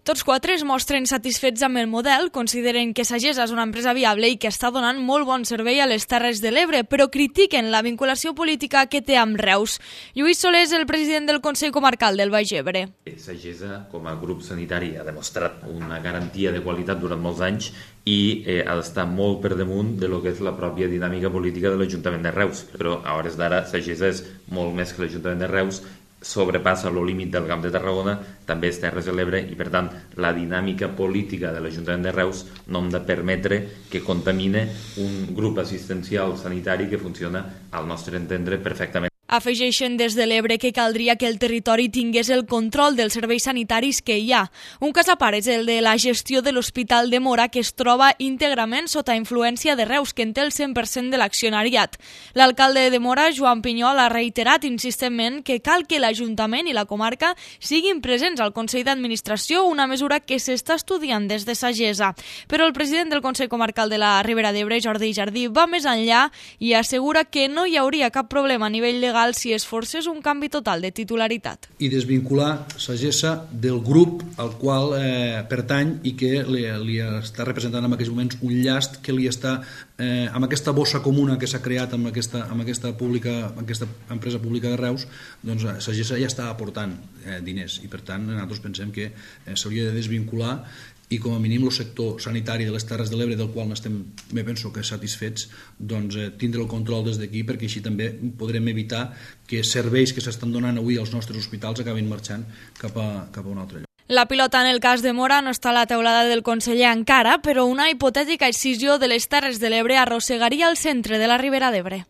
Tots quatre es mostren satisfets amb el model, consideren que Sagesa és una empresa viable i que està donant molt bon servei a les Terres de l'Ebre, però critiquen la vinculació política que té amb Reus. Lluís Soler és el president del Consell Comarcal del Baix Ebre. Sagesa, com a grup sanitari, ha demostrat una garantia de qualitat durant molts anys i ha d'estar molt per damunt de lo que és la pròpia dinàmica política de l'Ajuntament de Reus. Però a hores d'ara Sagesa és molt més que l'Ajuntament de Reus, sobrepassa el límit del Camp de Tarragona, també és Terres de l'Ebre i, per tant, la dinàmica política de l'Ajuntament de Reus no hem de permetre que contamine un grup assistencial sanitari que funciona, al nostre entendre, perfectament. Afegeixen des de l'Ebre que caldria que el territori tingués el control dels serveis sanitaris que hi ha. Un cas a part és el de la gestió de l'Hospital de Móra, que es troba íntegrament sota influència de Reus, que en té el 100% de l'accionariat. L'alcalde de Móra, Joan Pinyol, ha reiterat insistentment que cal que l'Ajuntament i la comarca siguin presents al Consell d'Administració, una mesura que s'està estudiant des de Sagesa. Però el president del Consell Comarcal de la Ribera d'Ebre, Jordi Jardí, va més enllà i assegura que no hi hauria cap problema a nivell legal si es forcés un canvi total de titularitat. I desvincular Sagesa del grup al qual pertany i que li està representant en aquests moments un llast que li està, amb aquesta bossa comuna que s'ha creat amb aquesta empresa pública de Reus, doncs Sagesa ja està aportant diners i per tant nosaltres pensem que s'hauria de desvincular i com a mínim el sector sanitari de les Terres de l'Ebre, del qual n'estem, penso que satisfets, doncs tindre el control des d'aquí, perquè així també podrem evitar que serveis que s'estan donant avui als nostres hospitals acabin marxant cap a un altre lloc. La pilota en el cas de Móra no està a la teulada del conseller encara, però una hipotètica excisió de les Terres de l'Ebre arrossegaria el centre de la Ribera d'Ebre.